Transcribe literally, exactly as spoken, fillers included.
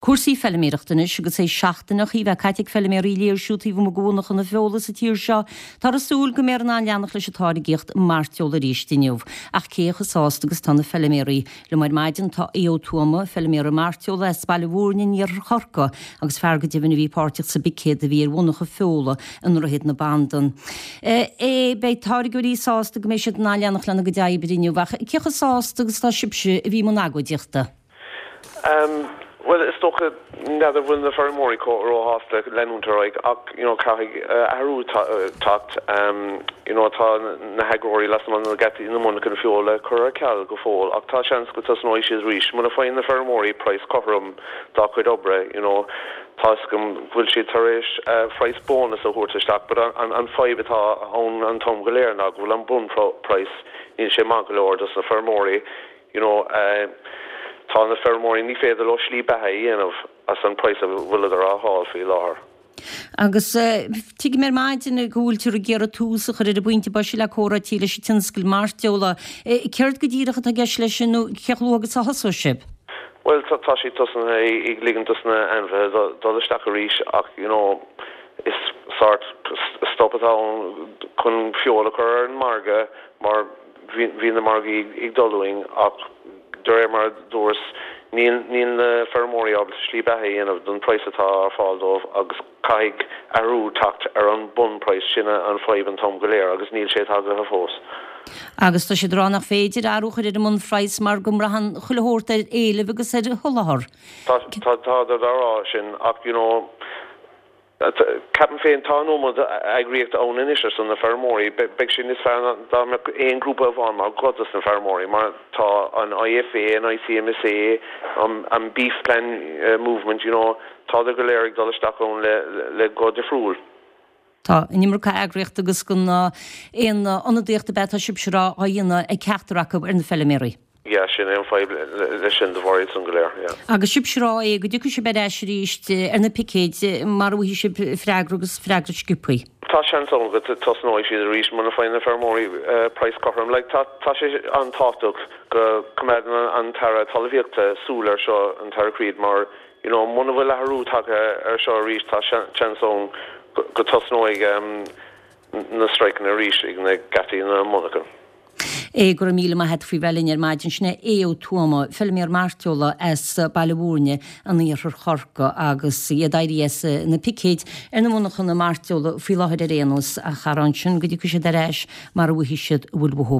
Cúrsaí feilméarachta anois agus é seachtain ó bhí caite ag feilméaraí léirsiú taobh amuigh de mhonarchana feola sa tír seo, Táthar ag súil go mbeifear in ann leanacht leis an táirgíocht mairteola arís inniu. Ach cé chomh sásta agus tá na feilméaraí liom ar maidin tá Aodh Ó Tuama, feilméara mairteola as Baile Mhúirne in iarthar Chorcaí agus fear go deimhin a bhí páirteach sa bpicéad a bhí ar mhonarcha feola i nDroichead na Bandan. É beidh táirgeoirí sásta go mbeidh siad in ann leanacht lena gcuid oibre inniu ach cé chomh sásta agus tá sibhse a bhí i mbun agóidíochta. Um, well is dócha n'fheadar bhfuil na feirmeoirí róshásta leanúint ar aghaidh ach you know, caithfidh uh, athrú teacht um, you know, tá na heagróirí lasmuigh na geataí na monarchan feola curtha ar ceal go fóill ach tá seans go dtosnóidh siad arís muna bhfaigheann na feirmeoirí praghas cothrom dá gcuid oibre you know, tá go bhfuil siad tar éis uh, praghas bónas a thabhairt isteach, but an, an, an fadhb atá ann an t-am go léir ná go bhfuil an bunphraghas níl sé maith go leor dos na feirmeoirí you know, uh, tá na feirmeoirí ní féidir leo slí beatha a dhéanamh as an praghas a bhfuileadar á fháil faoi láthair. Agus uh, tuigim ar maidin go bhfuil ag iarraidh tús a chur ar an bpointe boise le comhráití leis an tionscal mairteola. Céard go díreach atá i gceist leis sin nó cé chomh luath agus a thosóidh sibh? Well tá sé tosaithe ag ligean dos na ainmhithe dul isteach arís ach you know, is sort stop atá chun feoil a chur ar an margadh mar bhí na margaí ag dul ach de réir mar dúras níl níl na feirmeoirí ábalta slí beatha a dhéanamh don praghas atá ar fáil dóibh agus caithfidh athrú teacht ar an bunphraghas sin an fadhb an t-am go léir agus níl sé tagtha fós. Agus tá sé rá nach féidir athrú a chur ar an mbunphraghas mar go mbraitheann chuile shórt ar éileamh agus ar sholáthar. Tá tá rá sin ach you know, Ceapaim féin tá an iomad eagraíocht ann anois ar son na feirmeoirí, beidh sin is fearr dá aon grúpa amháin mar go dos na feirmeoirí, mar tá an IFA, an ICMSA, an, an Beef Plan uh, movement, you know, tá go léir ag dul isteach ann le, le go difriúil. Tá an iomarca eagraíocht agus gan aon ionadaíocht a bheith sibhse á dhéanamh ag ceachtar acu ar na feilméaraí. Ja sin é an fadhb le sin de bharr san go léir. Agus sibhse rá é go dtiocfaidh sibh ar ais arís ar na picéid mar bhí sib freagra agus freagra sciobtha. Tá seans ann go dtosnóidh siad arís muna bhfaigheann na feirmeoirí praghas cothrom, like, tá tá sé an-tábhachtach go gcoimeádann an tAire Talmhaíochta súil ar seo an tAire Creed mar you know, muna bhfuil athrú tagtha ar seo arís tá seans ann go dtosnóidh um, na streiceanna arís ag na geataí na monarchan. É go míle maith faoi bheith linn ar maidin sin é Aodh Ó Tuama, feilméara mairteola as Baile Mhúirne in iarthar Chorcaí agus iad éirithe as na picéid ar na monarchana mairteola faoi láthair ar aon nós a charán sin go dtiocfaidh siad ar ais mar a bhfuil siad bhfuil bhó.